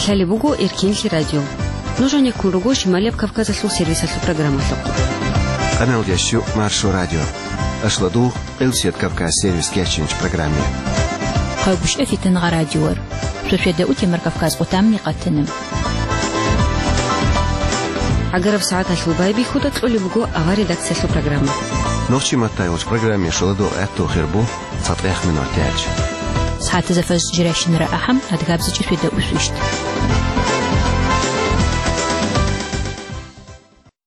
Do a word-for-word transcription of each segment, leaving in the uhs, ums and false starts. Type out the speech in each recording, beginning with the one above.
Лъалеб буго Эркенлъи радио. Нуж гьанеккун руго Шималияб Кавказалъул сервисалъул программалъухъ. Къаналдящу Маршо радио. Ашладугъ, Элсет Кавказ сервис кечинч программе. Хъайгуща фитангъа радиор. Сосведа утемар Кавказ къутамни къатана. Агараб сагӀаталъул байбихьуда кьолеб буго авар редакциялъул программа. Нохчи маттай уч программе шоладо этту хирбу. ЦатӀех минутач. СагӀатазда фажр жирайщинара ахӀам, адгабзичӀи светда усвищт.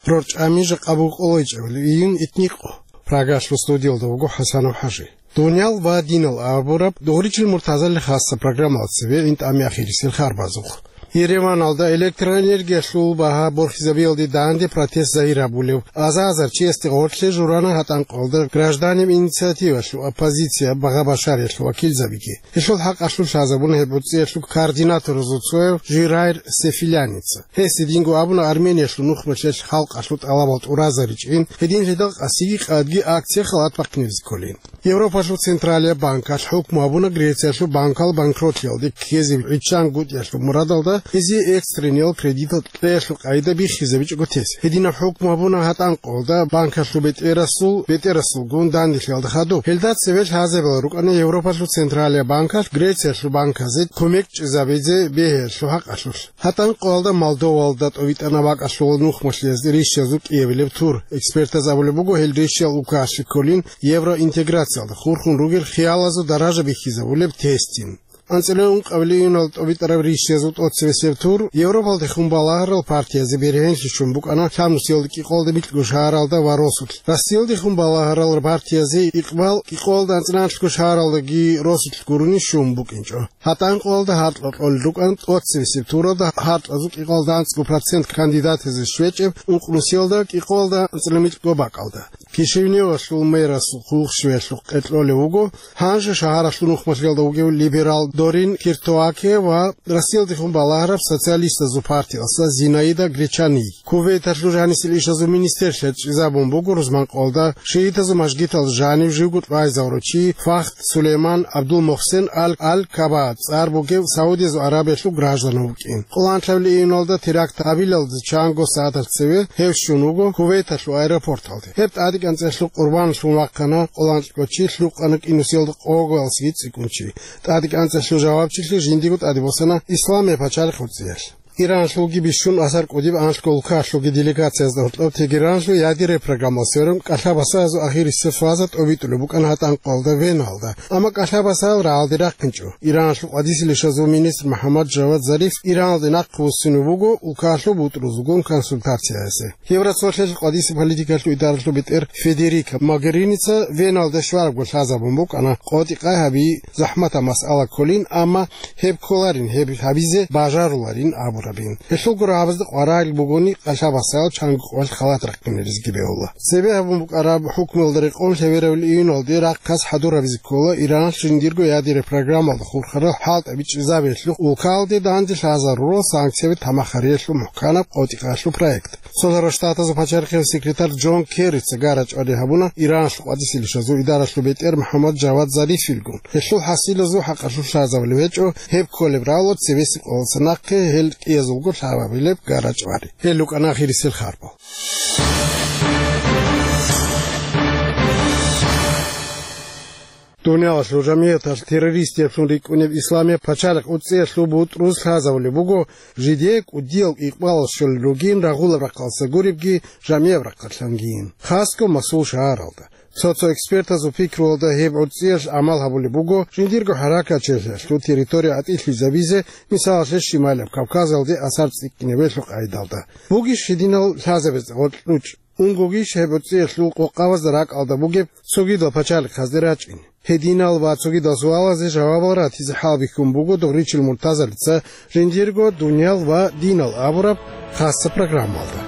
РорчӀами жакъа буго къолойчӀебали июнь итникъо. Прагалъул студиялда вуго ХӀасанов ХӀажи. Дуниял ва динал абураб дугъричил муртазали хасса программалда цебе интӀами ахирисел харбазухъ. Ереваналда электроэнергиялъул багьа борхизабиялде данде протест загьир гьабулев аза-азар чиясде гъорлъе журана гьатӀанкъалда гражданин инициативалъул оппозиция багъа-башариялъул вакилзабиги. Гьелъул хӀакъалъулъ лъазабуна гьеб гӀурцӀиялъул координаторазул цояв Жирайр Сефиляница. Гьес гьединго абуна Армениялъул нухмалъиялъ халкъалъул тӀалабал тӀуразаричӀин, гьединлъидал къасиги къадги акция халат бахъинабизе кколин. Европалъул Централияб банкалъ хӀукму гьабуна Грециялъул банкал банкротлъиялде ккезе гӀиччан гутӀиялъул мурадалда гьезие экстрениял кредитал кьеялъул къагӀида биххизабичӀого тес. Гьединаб хӀукму гьабуна гьатӀанкъалда банкалъул бетӀерасул, бетӀерасулгун данделъиялда хадуб. Гьелда цеве лъазабила рукӀана Европалъул Централияб банкалъ Грециялъул банказе кумек чӀезабизе бегьиялъул хӀакъалъулъ. ГьатӀанкъалда Молдовалда тӀовитӀана бакӀалъул нухмалъиязде рищазул кӀиабилеб тур. Экспертаз абулеб буго, гьел рищал улкаялъе кколин евроинтеграциялда хурхун ругел хиялазул даража бихьизабулеб тестин. АнцӀила ункъабилеб июналда тӀобитӀараб рищазул тӀоцебесеб тур Европалдехун балагьарал партиязе бергьенлъи щун букӀана лъабнусиялда кӀикъоялда микьго шагьаралда ва росулъ. Россиялдехун балагьарал партиязе Икъбал кӀикъоялда анцӀила анлъго шагьаралдаги росулъ гурони щун букӀинчӀо. ГьатӀанкъалда гьаркьа кьолел рукӀана тӀоцебесеб туралда гьаркьазул кӀикъоялда анцӀго процент кандидатазе щвечӀеб ункънусиялда кӀикъоялда анцӀила микьго бакӀалда. Кишиневалъул мэрасул хъулухъ щвеялъухъ къекълъолев вуго, гьанже шагьаралъул нухмалъиялда вугев либерал Дорин Киртоаке ва Россиялдехун балагьараб социалистазул партиялъа Зинаида Гречани. Кувейталъул жанисел ишазул министрлъиялъ чӀезабун буго рузманкъалда шиитазул мажгиталда жанив живго тӀвайзавурав чи Фахд Сулейман Абдул-Мухсен Ал-, Ал-Каба цӀар бугев Саудиязул Аравиялъул граждан вукӀин. Къоло анлъабилеб июналда теракт гьабилалде чанго сагӀаталъ цеве гьев щун вуго Кувейталъул аэропорталде. Гьеб тӀадегӀанцӀалъул къурбаналъун вахъана къоло анлъго чи лъукъана кӀинусиялда къоялъги цӀикӀкӀун чи. ТӀадегӀанцӀалъул жавабчилъи жиндиего тӀаде босана Исламияб пачалихъ гӀурцӀиялъ. Иранлъулги бищун асар кӀудиб анлъго улкалъулги делегациязда гьоркьоб Тегеранлъул ядерный программалъ сверун кӀалъа-басаязул ахирисеб фаза тӀобитӀулеб букӀана гьатӀанкъалда Веналда. Амма кӀалъа-басаял рагӀалде рахъинчӀо. Иранлъул къватӀиселищазул министр МухӀаммад Жавад Зариф Иранлде нахъе вуссунев вуго улкалъул бутӀрузулгун консультацияясе. Евроцолъиялъ къватӀиса политикалъул идаралъул бетӀер Федерика Могеринийица Веналда щварабго лъазабун букӀана, къотӀи-къай гьаби захӀматаб масъала кколин, амма гьеб кколарин, гьеб гьабизе бажаруларин абурабин. Гьелъул гурабазда къваригӀел бугони, кӀалъа-басаял чанго къоялъ халат рахъинаризги бегьула. Цебе гьабун букӀараб хӀукмуялда рекъон лъебераб июналде рахъ хас хӀадур гьабизе ккола Иранлъ жиндирго ядерный программалда хурхарал хӀалтӀаби чӀезабиялъухъ улкалде данде лъазарурал санкцияби тамахариялъул мухӀканаб къотӀи-къаялъул проект. Цолъарал Штатазул пачалихъияв секретарь Джон Керрица гара-чӀвари гьабуна Иранлъул къватӀиселищазул идаралъул бетӀер МухӀаммад Жавад Зарифилгун. Гьелъул хӀасилазул хӀакъалъулъ лъазабулеб гьечӀо, гьеб кколеб рагӀула цебесеб къоялдаса нахъе гьел кӀиязулго лъазабилеб гара-чӀвари. Гьел рукӀана ахирисел харбал. Дуниялалъул жамигӀаталъ террористиялъун рикӀкӀунеб Исламияб пачалихъ гӀурцӀиялъул бутӀруз лъазабулеб буго, жидее кӀудиял икъбалал щолел ругин рагъулаб рахъалдаса гуребги, жамияб рахъалъангийин, хасго масул шагьаралда. Цо-цо экспертазул пикруялда гьеб гӀурцӀиялъ гӀамал гьабулеб буго жиндирго хӀаракатчилъиялъул территория гӀатӀилъизабизе, мисалалъе, Шималияб Кавказалде асар цӀикӀкӀинабиялъул къайдалда. Бугищ гьединал лъазабазда гъоркь ручӀ? Унгогищ гьеб гӀурцӀиялъул къокъабазда ракӀалда бугеб цогидал пачалихъазде рачӀин? Гьединал ва цогидал суалазе жавабал ратизе хӀалбихьун буго Дугъричил Муртазалица жиндирго «Дуниял ва динал» абураб хасса программалда.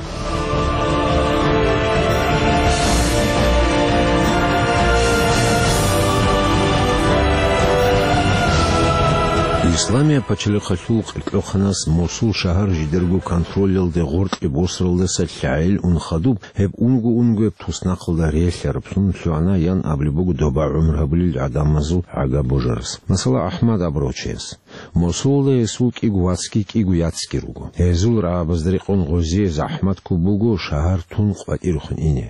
Исламияб пачалихъалъул къеркьохъанас Мосул шагьар жидерго контролялде гъоркье босаралдаса лъагӀел ун хадуб, гьеб унго-унгояб туснахъалда релълъараблъун лъугьана ян абулеб буго доба гӀумру гьабулел гӀадамазул гӀага божарас. Масала, АхӀмад абурав чияс. Мосулалда гьесул кӀиго вацги кӀиго яцги руго. Гьезул рагӀабазда рекъон гъозие захӀмат ккун буго шагьар тун къватӀирехун ине.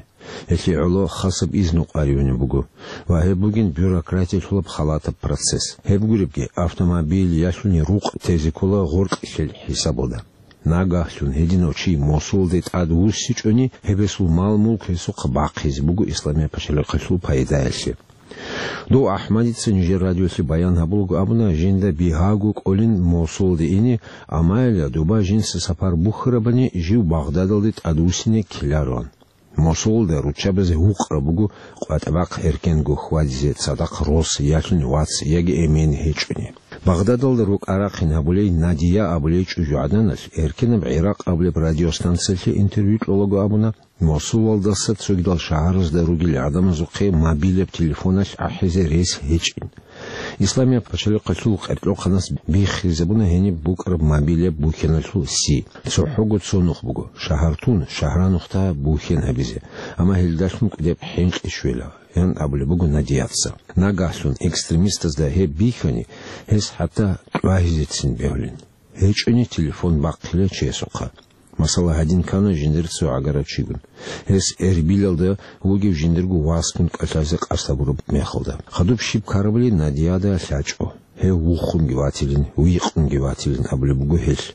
Гьелъие гӀоло хасаб изну къваригӀунеб буго ва гьеб бугин бюрократиялъулаб халатаб процесс. Гьеб гуребги, автомобиль ялъуни рукъ тезе ккола гъоркьлъел хӀисабалда. Нагагьлъун гьединав чи Мосулалде тӀадвуссичӀони, гьеб гьесул мал-мулк гьесухъа бахъизе буго Исламияб пачалихъалъул пайдаялъе. Дов АхӀмадица нижер радиолъе баян гьабулаго абуна, жинда бигьаго кӀолин Мосулалде ине, амма гьелда доба жинца сапар бухьарабани, жив Багъдадалде тӀадвуссине ккелароан. Мосулалда руччабазе гьукъараб буго къватӀа-бахъ эркенго хьвадизе цадахъ рос, ялъуни вац яги эмен гьечӀони. Багъдадалда рукӀа-рахъин гьабулей Надия абулей чӀужугӀаданалъ эркенаб ГӀиракъ абулеб радиостанциялъе интервью кьолаго абуна, Мосулалдаса цогидал шагьаразда ругел гӀадамазухъе мобилаб телефоналъ ахӀизе рес гьечӀин. Исламияб пачалихъалъул къеркьохъанас биххизабуна гьениб букӀараб мобилаб бухьаналъул си. ЦохӀого цо нух буго, шагьар тун, шагьранухъда бухьен гьабизе, амма гьелдалъун кӀудеб хӀинкъи щвела, ян абулеб буго Надияца. Нагагьлъун экстремистазда гьеб бихьани, гьес хӀатта тӀвагьизецин бегьулин. ГьечӀони телефон бахъила чиясухъа. Масала, гьадин ккана жиндир цо гӀагарав чигун. Гьес Эрбилалда вугев жиндирго васгун кӀалъазе къасд гьабураб мехалда. Хадуб щиб ккарабали Надияда лъачӀо. Гьев вухунги ватилин, вийкъунги ватилин абулеб буго гьелъ.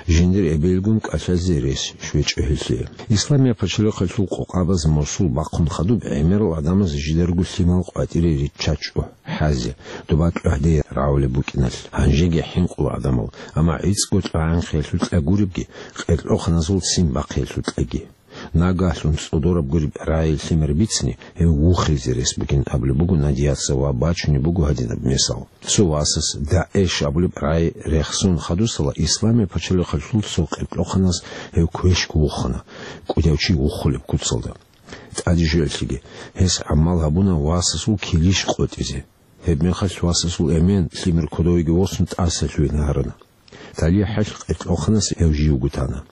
Жиндир эбелгун кӀалъазе рес щвечӀо гьелъие. Исламияб пачалихъалъул къокъабаз Мосул бахъун хадуб гӀемерал гӀадамаз жидарго лъимал къватӀире риччачӀо. ХӀазе, доба кьогьде рагӀулеб букӀиналъ, гьанжеги хӀинкъула гӀадамал, амма гӀицӀго кьогӀанхъиялъул кьа гуребги, къеркьохъаназул ццин бахъиялъул кьаги. Нагагьлъун цӀодораб гуреб рагӀи лъимер бицни, гьев вухизе рес бугин абулеб буго Надияца ва бачунеб буго гьадинаб мисал. Цо васас ДАГӀИШ абулеб рагӀи рехсон хадусала Исламияб пачалихъалъул цо къеркьохъанас гьев квешго вухана, кӀудияв чи вухулеб куцалда. ТӀадежиялъеги гьес гӀамал гьабуна васасул килищ къотӀизе. Гьебмехалъ васасул эмен лъимер кодовеги восун тӀаса лъугьине гьарана. ТалихӀалъ къеркьохъанас гьев живго тана.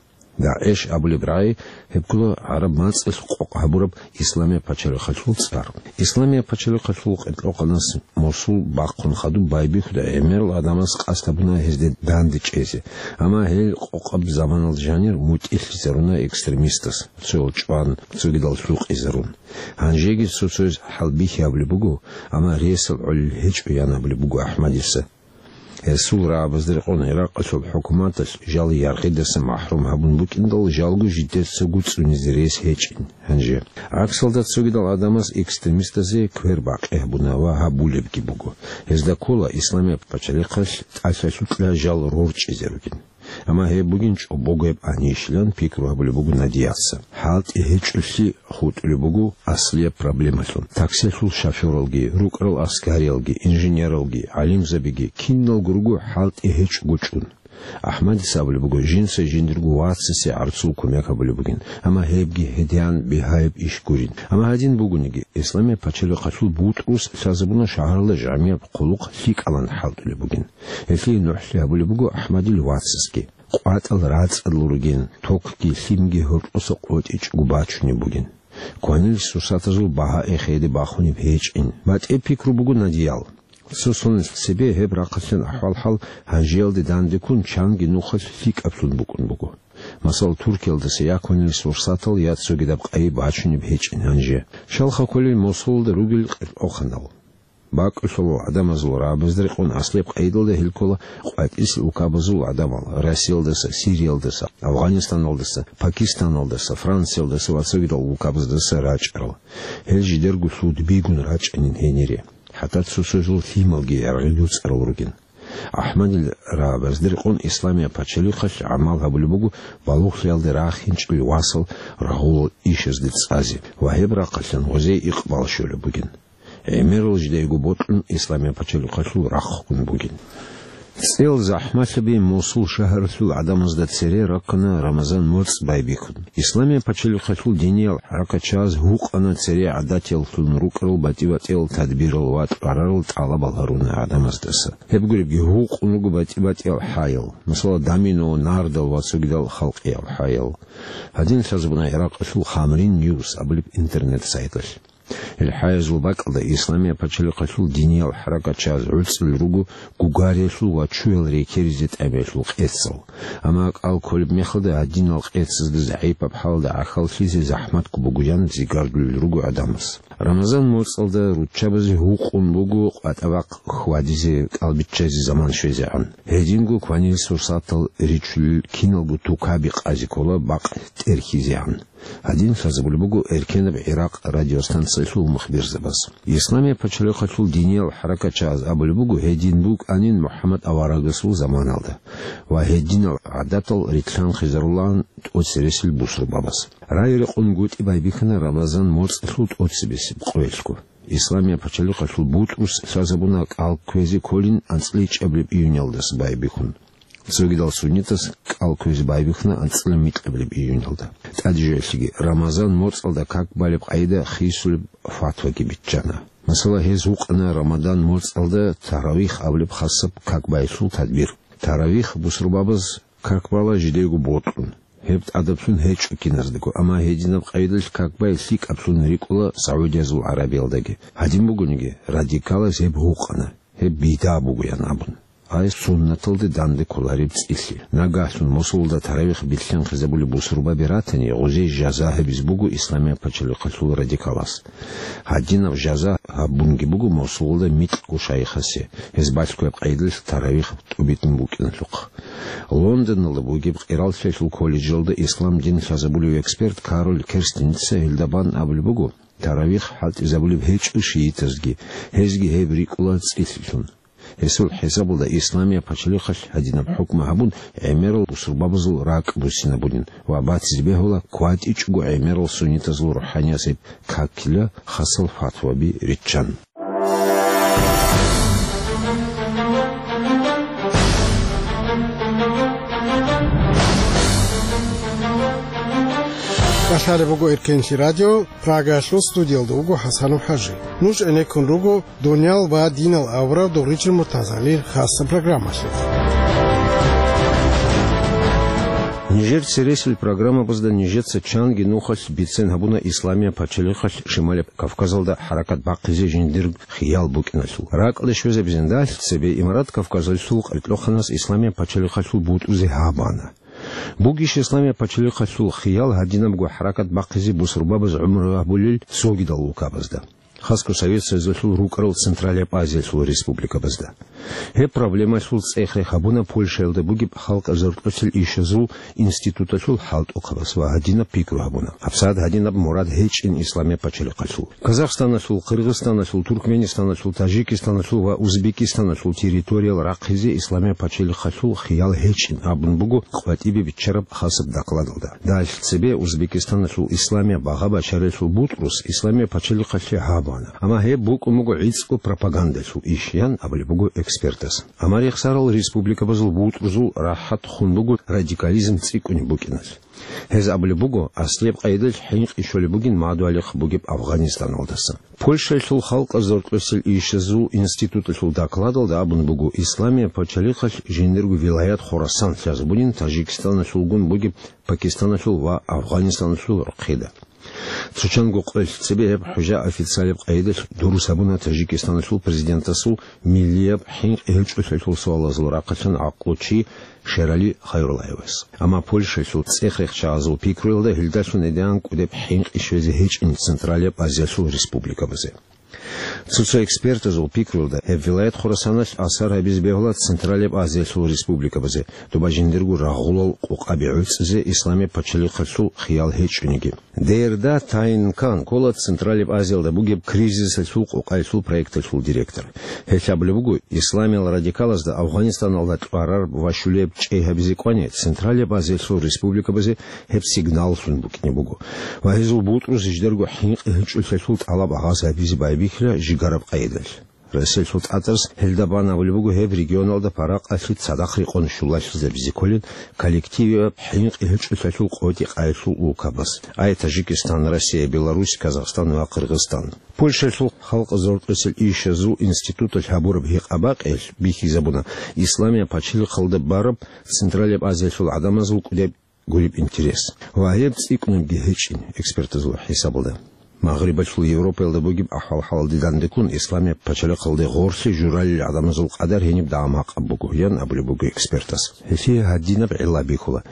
ДАГӀИШ абулеб рагӀи гьеб ккола гӀараб мацӀалъ къокъ гьабураб Исламияб пачалихъалъул цӀар. Исламияб пачалихъалъул къеркьохъанас Мосул бахъун хадуб байбихьуда гӀемерал гӀадамаз къасд гьабуна гьезде данде чӀезе, амма гьел къокъаб заманалда жанир мутӀигӀлъизаруна экстремистаз, цоял чӀван, цогидал лъукъизарун. Гьанжеги цо-цояз хӀалбихьи гьабулеб буго, амма ресал гӀолел гьечӀо, ян абулеб буго АхӀмадица. Гьесул рагӀабазда рекъон Иракъалъул хӀукуматалъ жал яргъидаса махӀрум гьабун букӀиндал, жалго жидецаго цӀунизе рес гьечӀин гьанже. ГӀаксалда цогидал гӀадамаз экстремистазе квер бакъи гьабуна ва гьабулебги буго. Гьезда ккола Исламияб пачалихъалъ тӀалъалъукьа жал рорчӀизе ругин. Амма гьеб бугин чӀобогояб анищилан пикру гьабулеб буго Надияца. ХӀалтӀи гьечӀолъи хутӀулеб буго аслияб проблемалъун. Таксилъул шофёралги, рукӀарал аскариялги, инженералги, гӀалимзабиги, киналго руго хӀалтӀи гьечӀого чӀун. АхӀмадица абулеб буго, жинца жиндирго вацасе гӀарцул кумек гьабулеб бугин, амма гьебги гьедин бигьаяб иш гурин. Амма гьадин бугониги, Исламияб пачалихъалъул бутӀрус лъазабуна шагьаралда жамигӀ хъулухъ лъикӀалан хӀалтӀулеб бугин. Гьелъие нухлъи гьабулеб буго АхӀмадил вацасги. КъватӀал рацӀцӀадал ругин, токги лъимги гьоркьоса къотӀичӀого бачунеб бугин. Кванил сурсатазул багьа эхеде бахунеб гьечӀин. БатӀе пикру буго Надиял. Цо соналъ цебе гьеб рахъалъан ахӀвал-хӀал гьанжеялде данде ккун чанги нухалъ лъикӀаблъун букӀун буго. Масала, Туркиялдаса я кванил сурсатал, я цогидаб къайи бачунеб гьечӀин гьанже. Щалха кколел Мосулалда ругел къеркьохъанал. БакӀулъулал гӀадамазул рагӀабазда рекъон аслияб къайдалда гьел ккола къватӀисел улкабазул гӀадамал: Россиялдаса, Сириялдаса, Афгъанистаналдаса, Пакистаналдаса, Франциялдаса ва цогидал улкабаздаса рачӀарал. Гьел жидерго лъудбигун рачӀанин гьенире. ХӀатта цо-цоясул лъималги яргъи дуцӀарал ругин. АхӀмадил рагӀабазда рекъон Исламияб пачалихъалъ гӀамал гьабулеб буго балугълъиялде рахинчӀел васал рагъулал ишазде цӀазе ва гьеб рахъалъан гъозие икъбал щолеб бугин. ГӀемерал жидайго бокьун Исламияб пачалихъалъул рахъун бугин. ЦӀел захӀмалъаби Мосул шагьаралъул гӀадамазда цере рахъана Рамазан моцӀ байбихьун. Исламияб пачалихъалъул диниял хӀаракатчагьаз гьукъана цере гӀадатияллъун рукӀарал батӀи-батӀиял тадбирал ва тӀварарал тӀалабал гьаруна гӀадамаздаса. Гьеб гуребги гьукъун руго батӀи-батӀиял хӀаял, масала, домино, нардал ва цогидал халкъиял хӀаял. Гьадин лъазабуна Иракъалъул Хамрин Ньюс абулеб интернет-сайталъ. Гьел хӀаязул бакӀалда Исламияб пачалихъалъул диниял хӀаракатчагьаз гӀуцӀрел руго гугариялъул ва чуял рекеризе тӀамиялъул къецал. Амма кӀал кколеб мехалда гьадинал къецазда загӀипаб хӀалалда гӀахьаллъизе захӀматго бугоян зигардулел руго гӀадамаз. Рамазан моцӀалда руччабазе гьукъун буго къватӀа-бахъ хьвадизе, кӀал биччазе заман щвезегӀан. Гьединго кванил сурсатал ричулел киналго тукаби къазе ккола бакъ тӀерхьизегӀан. Гьадин лъазабулеб буго эркенаб Иракъ радиостанциялъул мухбирзабаз. Исламияб пачалихъалъул диниял хӀаракатчагьаз абулеб буго, гьедин букӀанин МухӀаммад аварагасул заманалда ва гьединал гӀадатал рилълъанхъизарулаан тӀоцересел бусурбабаз. Рай-рекъон гутӀи байбихьана Рамазан моцӀалъул тӀоцебесеб къоялъго. Исламияб пачалихъалъул бутӀрус лъазабуна кӀал кквезе кколин анцӀила ичӀабилеб июнялдаса байбихьун. Цогидал суннитас кӀал кквезе байбихьуна анцӀила микьабилеб июнялда. ТӀаде жоялъеги Рамазан моцӀалда как балеб къайда хисулеб фатваги биччана. Масала, гьез гьукъана Рамазан моцӀалда таравих абулеб хасаб как байялъул тадбир. Таравих бусурбабаз как бала жидего бокьун, гьеб тӀадаблъун гьечӀо киназдаго, амма гьединаб къайдалъ как бай лъикӀаблъун рикӀкӀула Саудиязул ГӀарабиялдаги. Гьадин бугониги, радикалаз гьеб гьукъана, гьеб бидгӀа бугоян абун. Ай суннаталде данде кколареб цӀилъи. Нагагьлъун Мосулалда таравих билълъанхъизабулеб бусурбаби ратани, гъозие жаза гьабизе буго Исламияб пачалихъалъул радикалас. Гьадинаб жаза гьабунги буго Мосулалда микьго шайихасе, гьез балъгояб къайдалъ таравих тӀубитӀун букӀиналъухъ. Лондоналда бугеб къираллъиялъул колледжалда ислам дин лъазабулев эксперт Кароль Керстеница гьелда бан абулеб буго, таравих хӀалтӀизабулеб гьечӀо шиитазги, гьезги гьеб рикӀкӀула цӀилъилъун. Гьесул хӀисабалда Исламияб пачалихъалъ гьадинаб хӀукму гьабун, гӀемерал бусурбабазул ракӀ буссинабунин ва батизе бегьула кватӀичӀого гӀемерал суннитазул рухӀаниязул какила хасал фатваби риччан. Балъалеб буго Эркенлъи радио, Прагаялъул студиялда вуго ХӀасанов ХӀажи. Нуж гӀенеккун руго Дуниял ва динал авараг Дугъричил Муртазалил хасаб программалъе. Нижер цересел программабазда нижеца чанги нухалъ бицен гьабуна Исламияб пачалихъалъ Шималияб Кавказалда хӀаракат бахъизе жиндир хиял букӀиналъул. РакӀалде щвезабизин, дагьалъ цебе Имарат Кавказалъул къеркьоханас Исламияб пачалихъалъул бутӀрузе гьаб ана. Бугищ Исламияб пачалихъалъул хиял гьадинабго хӀаракат бахъизе бусурбабаз гӀумру гьабулел цогидал улкабазда? Хасго Совет Союзалъул рукӀарал Централияб Азиялъул республикабазда. Гьеб проблемалъул цӀех-рех гьабуна Польшаялда бугеб халкъ заркьоцел ишазул институталъул хӀалтӀухъабаз ва гьадинаб пикру гьабуна. ГьабсагӀат гьадинаб мурад гьечӀин Исламияб пачалихъалъул. Казахстаналъул, Къиргъизстаналъул, Туркменистаналъул, Таджикистаналъул ва Узбекистаналъул территориял рахъизе Исламияб пачалихъалъул хиял гьечӀин абун буго къватӀибе биччараб хасаб докладалда. Дагьалъ цебе Узбекистаналъул Исламияб багъа бачаралъул бутӀрус Исламияб пачалихъалъе гьаб ана. Амма гьеб букӀун буго гӀицӀго пропагандалъул иш, ян абулеб буго экспертас. Амма рехсарал республикабазул бутӀрузул рахӀат хун буго радикализм цӀикӀкӀунеб букӀиналъ. Гьез абулеб буго, аслияб къайдалъ хӀинкъи щолеб бугин мадугьалихъ бугеб Афгъанистаналдаса. Польшаялъул халкъ заркьоцел ишазул институталъул докладалда абун буго, Исламияб пачалихъалъ жиндирго вилаят Хурасан лъазабунин Таджикистаналъулгун бугеб Пакистаналъул ва Афгъанистаналъул рохъеда. Цо чанго къоялъ цебе гьеб хӀужа официалияб къайдалъ дурус гьабуна Таджикистаналъул президентасул миллияб хӀинкъи гьечӀолъиялъул суалазул рахъалъан гӀакълу чи Шерали Хайруллаевас. Амма Польшаялъул цӀех-рех чагӀазул пикруялда гьелдалъун гӀедегӀан кӀудеб хӀинкъи щвезе гьечӀин Централияб Азиялъул республикабазе. Цо-цо экспертазул пикруялда, гьеб вилаят Хурасаналъ асар гьабизе бегьула Централияб Азиялъул республикабазе, доба жиндирго рагъулал къукъаби гӀуцӀизе Исламияб пачалихъалъул хиял гьечӀониги. Дерда Тайнкан ккола Централияб Азиялда бугеб кризисалъул къукъаялъул проекталъул директор. Гьелъ абулеб буго, исламиял радикалазда Афгъанистаналда кьвараб ва щулеб чӀей гьабизе кӀвани, Централияб Азиялъул республикабазе гьеб сигналлъун букӀине буго ва гьезул бутӀрус жидерго хӀинкъи гьечӀолъиялъул тӀалаб гьабизе байбихьила жигараб къайдалъ. Россиялъул тӀатӀарас гьелда бан абулеб буго гьеб регионалда паракъалъи цадахъ рекъон щулалъизабизе кколин коллективияб хӀинкъи гьечӀолъиялъул къотӀи-къайилъул улкабаз. Ай Таджикистан, Россия, Беларусь, Казахстан ва Кыргызстан. Польшалъул халкъ зоркьисел ишазул институталъ гьабураб гьикъа-бакъиялъ бихьизабуна, Исламияб пачалихъалда бараб Централияб Азиялъул гӀадамазул кӀудеб гуреб интерес ва гьеб цӀикӀкӀунебги гьечӀин экспертазул хӀисабалда. Магърибалъул Европаялда бугеб ахӀвал-хӀалалде дандеккун, Исламияб пачалихъалде гъорлъе журалел гӀадамазул къадар гьениб дагьаб гьаб буго, ян абулеб буго экспертас. Гьелъие гьадинаб гӀилла бихьула.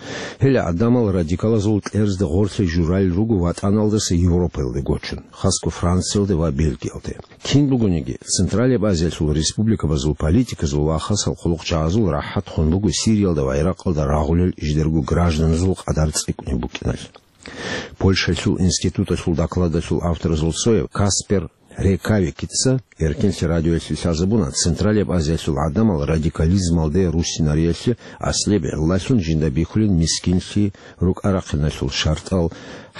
Гьел гӀадамал радикалазул кьерзда гъорлъе журалел руго ватӀаналдаса Европаялде гочун, хасго Франциялде ва Бельгиялде. Кин бугониги, Централияб Азиялъул республикабазул политиказул ва хасал хъулухъчагӀазул рахӀат хун буго Сириялда ва Иракъалда рагъулел жидерго гражданазул къадар цӀикӀкӀунеб букӀиналъ. Польшалъул институталъул докладалъул авторазул цояв Каспер Рекавикица Эркенлъи радиоялъе лъазабуна, Централияб Азиялъул гӀадамал радикализмалде руссинариялъе аслияб гӀиллалъун жинда бихьулин мискинлъи, рукӀа-рахъиналъул шартӀал,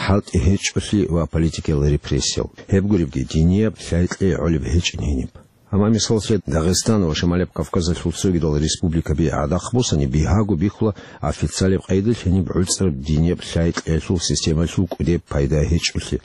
хӀалтӀи гьечӀолъи ва политикиял репрессиял. Гьеб гуребги, динияб лъай-кьей гӀолеб гьечӀин гьениб. Амма, мисаллъе, Дагъистан ва Шималияб Кавказалъул цогидал республикаби гӀадахъ босани, бигьаго бихьула официалияб къайдалъ гьениб гӀуцӀраб динияб лъай-кьеялъул системалъул кӀудеб пайда гьечӀолъи.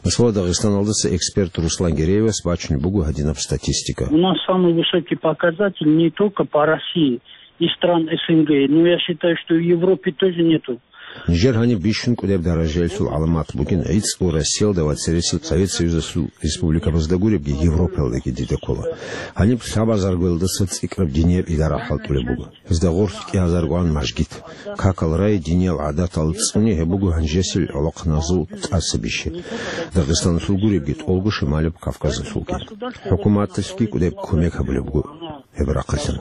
Масала, Дагъистаналдаса эксперт Руслан Гереевас бачунеб буго гьадинаб статистика. У нас самый высокий показатель не только по России и стран С Н Г, но я считаю, что и в Европе тоже нету. Нижер гьаниб бищун кӀудеб даражаялъул гӀаламат бугин гӀицӀго Россиялда ва цересел Совет Союзалъул республикабазда гуребги, Европаялдаги дида ккола. Гьаниб лъабазаргоялдаса цӀикӀкӀараб динияб идара хӀалтӀулеб буго. Гьезда гъорлъ кӀиазаргогӀан мажгит. Какал рай, диниял гӀадатал цӀуни, гьеб буго гьанжесил гӀолохъаназул тӀаса бищи. Дагъистаналъул гуребги, тӀолго Шималияб Кавказалъулги. ХӀукуматалъги кӀудеб кумек гьабулеб буго гьеб рахъалъан.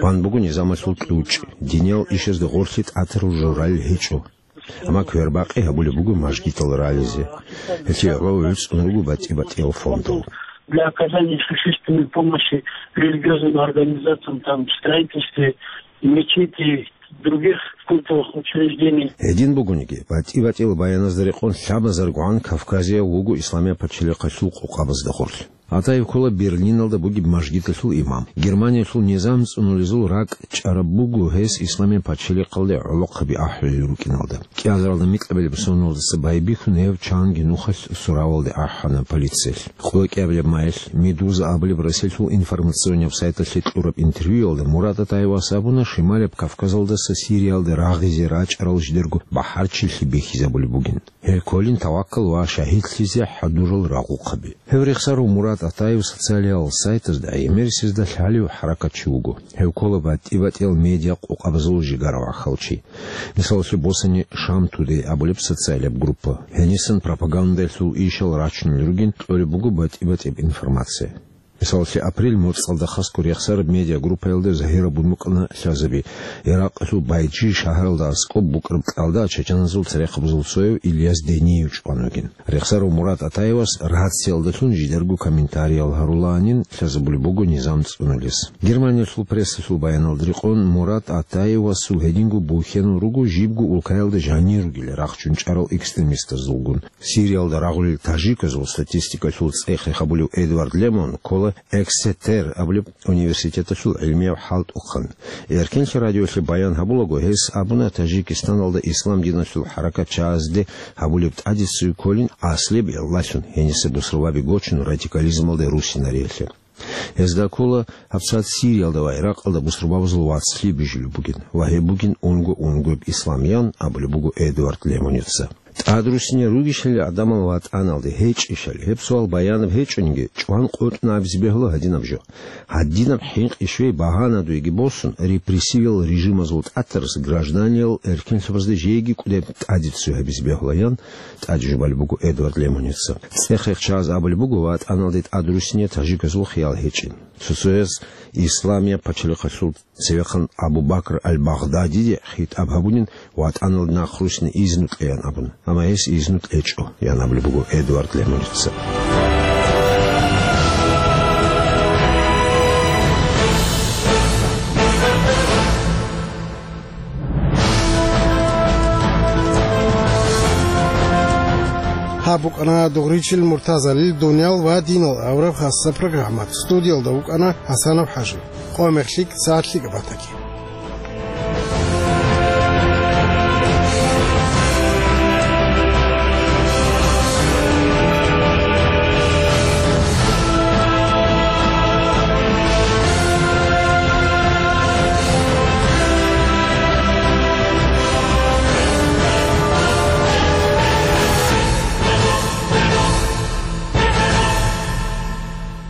Бан буго низамалъул кьучӀ, диниял ишазда гъорлъе тӀатарал журалел гьечӀо. Амма квербакъи гьабулеб буго мажгитал рализе. Гьелъие гӀоло гӀуцӀун руго батӀи-батӀиял фондал. Для оказания существенной помощи религиозным организациям, там, в строительстве мечетей, других культовых учреждений. Гьедин бугониги, батӀи-батӀиял баяназда рекъон лъабазаргогӀан Кавказияв вуго Исламияб пачалихъалъул къокъабазда гъорлъ. Атаев ккола Берлиналда бугеб мажгиталъул имам. Германиялъул низам цӀунулезул ракӀ чӀараб буго гьес Исламияб пачалихъалде гӀолохъаби ахӀулел рукӀиналда. КӀиазаралда микьабилеб соналдаса байбихьун гьев чанги нухалъ суравалде ахӀана полициялъ. КъолокӀиабилеб майилъ Медуза абулеб Россиялъул информационнияб сайталъе кьураб интервьюялда Мурат Атаевас абуна, Шималияб Кавказалдаса Сириялде рагъизе рачӀарал жидерго бахӀарчилъи бихьизабулеб бугин. Гьел кколин таваккал ва шагьидлъизе хӀадурал рагъухъаби. Гьев рехсарав Мурат Атаев социалиал сайтазда гӀемерисезда лъалев хӀаракатчи вуго. Гьев ккола батӀи-батӀиял медиа къокъабазул жигара вахъав чи. Мисалалъе босани, Шам Тудей абулеб социалияб группа. Гьенисан пропагандалъул ишал рачунел ругин кьолеб буго батӀи-батӀияб информация. Мисалалъе, апрель моцӀалда хасго рехсараб медиагруппаялда загьирабун букӀана лъазаби, Иракъалъул Байджи шагьаралда аскӀоб букӀараб кьалда чачаназул церехъабазул цояв Ильяс Дениев чӀван вугин. Рехсарав Мурат Атаевас рациялдалъун жидерго комментариял гьарулаанин лъазабулеб буго низам цӀунулес. Германиялъул прессалъул баяналда рекъон, Мурат Атаевасул гьединго бухьенал руго жибго улкаялда жанир ругел рахчун чӀарал экстремистазулгун. Сириялда рагъулел тажиказул статистикалъул цӀех-рех гьабулев Эдвард Лемон ккола Эксетер абулеб университеталъул гӀилмияв хӀалтӀухъан. Эркенлъи радиолъе баян гьабулаго, гьес абуна, Таджикистаналда ислам диналъул хӀаракатчагӀазде гьабулеб тӀадицци кколин аслияб гӀиллалъун, гьениса бусурбаби гочун радикализмалде руссинариялъе. Гьезда ккола гьабсагӀат Сириялда ва Иракъалда бусурбабазул вацлъи бижулеб бугин ва гьеб бугин унго-унгояб ислам, ян абулеб буго Эдвард Лемоница. ТӀадруссине ругищали гӀадамал ватӀаналде гьечӀищали, гьеб суал баянаб гьечӀониги, чӀван къотӀун абизе бегьула гьадинаб жо. Гьадинаб хӀинкъи-щвей багьанадуеги босун, репрессивиял режимазул тӀатарас гражданиял эркенлъабазда жеги кӀудеб тӀадицци гьабизе бегьула, ян тӀаде жубалеб буго Эдвард Лемоница. ЦӀех-рех чагӀаз абулеб буго, ватӀаналде тӀадруссине тажиказул хиял гьечӀин. Цо-цояз Исламияб пачалихъалъул цевехъан Абу Бакр аль-Багъдадиде хитӀаб гьабунин, ватӀаналде нахъруссине изну кьеян абун. Амма гьес изну кьечӀо, ян абулеб буго Эдвард Лемоница. Букъана Дугъричил Муртазалил «Дуниял ва динал» абураб хасса программа. Студиялда вукӀана ХӀасанов ХӀажи. Къо-, мехлъи сагӀат лъикӀаб батаги.